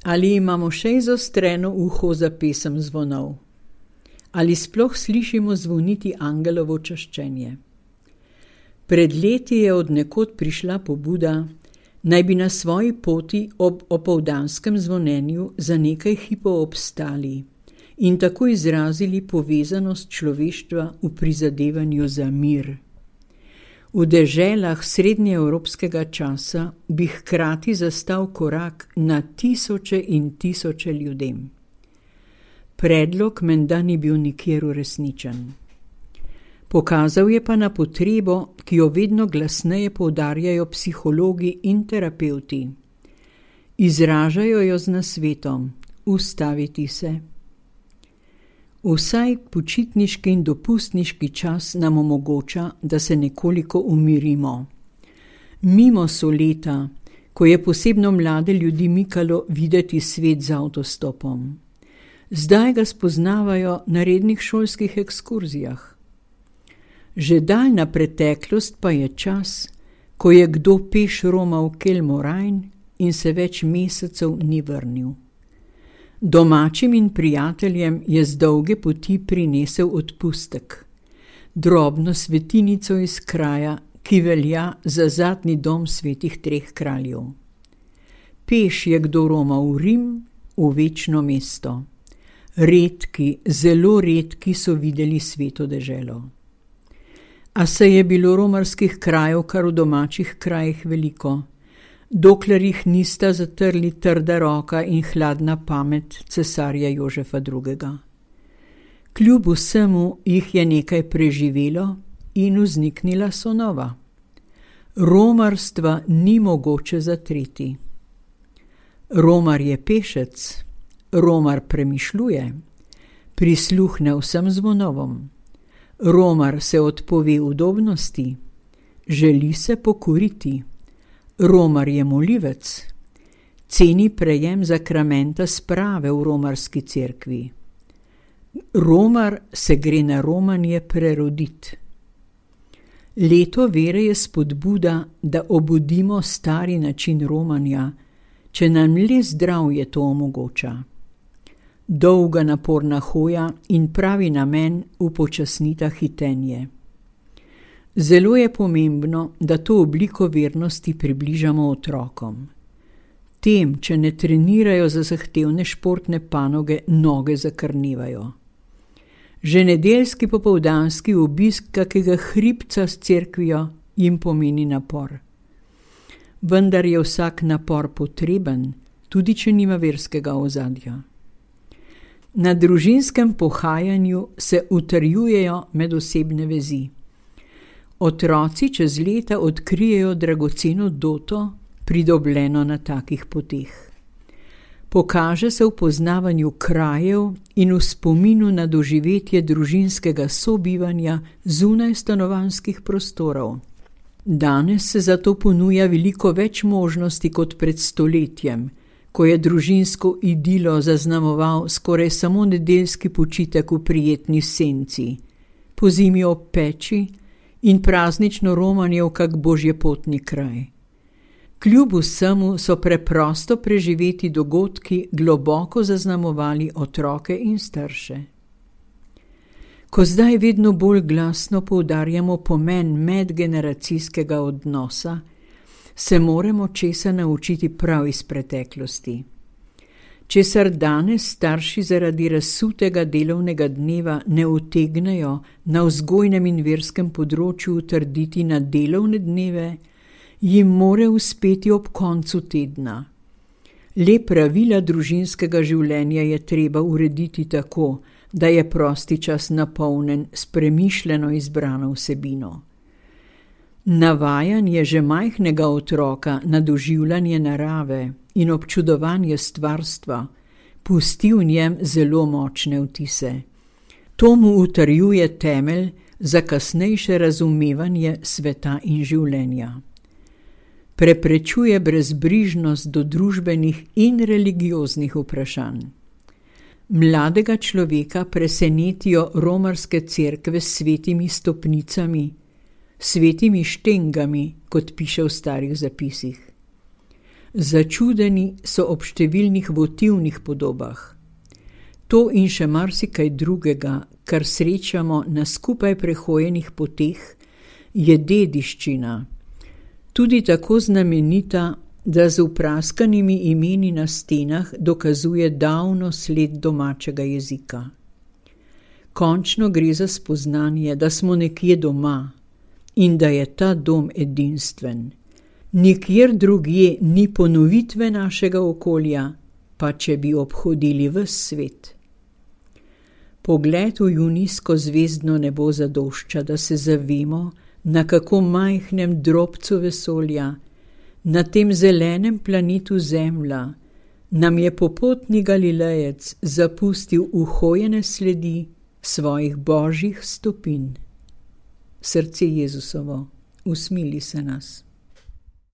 Ali imamo še izostreno uho za pesem zvonov? Ali sploh slišimo zvoniti angelovo čaščenje? Pred leti je od nekod prišla pobuda, naj bi na svoji poti ob opoldanskem zvonjenju za nekaj hipov obstali in tako izrazili povezanost človeštva v prizadevanju za mir. V deželah srednjeevropskega časa bi hkrati zastal korak na tisoče in tisoče ljudem. Predlog menda ni bil nikjer uresničen. Pokazal je pa na potrebo, ki jo vedno glasneje poudarjajo psihologi in terapevti. Izražajo jo z nasvetom: ustaviti se. Vsaj počitniški in dopustniški čas nam omogoča, da se nekoliko umirimo. Mimo so leta, ko je posebno mlade ljudi mikalo videti svet z avtostopom. Zdaj ga spoznavajo na rednih šolskih ekskurzijah. Že daljna preteklost pa je čas, ko je kdo peš romal Kelmorajn in se več mesecev ni vrnil. Domačim in prijateljem je z dolge poti prinesel odpustek, drobno svetinico iz kraja, ki velja za zadnji dom svetih treh kraljev. Peš je kdo romal v Rim, v večno mesto. Redki, zelo redki so videli sveto deželo. A se je bilo romarskih krajev kar v domačih krajih veliko, dokler jih nista zatrli trda roka in hladna pamet cesarja Jožefa II. Kljub vsemu jih je nekaj preživelo in vzniknila so nova. Romarstva ni mogoče zatreti. Romar je pešec, romar premišljuje, prisluhne vsem zvonovom. Romar se odpove udobnosti, želi se pokoriti. Romar je molivec, ceni prejem zakramenta sprave v romarski cerkvi. Romar se gre na romanje preroditi. Leto vere je spodbuda, da obudimo stari način romanja, če nam le zdravje to omogoča. Dolga naporna hoja in pravi namen upočasnita hitenje. Zelo je pomembno, da to obliko vernosti približamo otrokom. Tem, če ne trenirajo za zahtevne športne panoge, noge zakrnevajo. Že nedeljski popoldanski obisk kakega hribca s cerkvijo jim pomeni napor. Vendar je vsak napor potreben, tudi če nima verskega ozadja. Na družinskem pohajanju se utrjujejo medosebne vezi. Otroci čez leta odkrijejo dragoceno doto, pridobljeno na takih poteh. Pokaže se v poznavanju krajev in v spominu na doživetje družinskega sobivanja zunaj stanovanjskih prostorov. Danes se zato ponuja veliko več možnosti kot pred stoletjem, ko je družinsko idilo zaznamoval skoraj samo nedeljski počitek v prijetni senci, pozimi ob peči in praznično romanje v kak božjepotni kraj. Kljub vsemu so preprosto preživeti dogodki globoko zaznamovali otroke in starše. Ko zdaj vedno bolj glasno poudarjamo pomen medgeneracijskega odnosa, se moramo česa naučiti prav iz preteklosti. Česar danes starši zaradi razsutega delovnega dneva ne utegnejo na vzgojnem in verskem področju utrditi na delovne dneve, jim more uspeti ob koncu tedna. Le pravila družinskega življenja je treba urediti tako, da je prosti čas napolnjen s premišljeno izbrano vsebino. Navajanje že majhnega otroka na doživljanje narave in občudovanje stvarstva pusti v njem zelo močne vtise. To mu utrjuje temelj za kasnejše razumevanje sveta in življenja. Preprečuje brezbrižnost do družbenih in religioznih vprašanj. Mladega človeka presenetijo romarske cerkve s svetimi stopnicami, svetimi štengami, kot piše v starih zapisih. Začudeni so ob številnih votivnih podobah. To in še marsikaj drugega, kar srečamo na skupaj prehojenih poteh, je dediščina, tudi tako znamenita, da z vpraskanimi imeni na stenah dokazuje davno sled domačega jezika. Končno gre za spoznanje, da smo nekje doma in da je ta dom edinstven. Nikjer drugje ni ponovitve našega okolja, pa če bi obhodili ves svet. Pogled v junijsko zvezdno nebo zadošča, da se zavemo, na kako majhnem drobcu vesolja, na tem zelenem planetu Zemlja, nam je popotni Galilejec zapustil uhojene sledi svojih božjih stopinj. Srce Jezusovo, usmili se nas.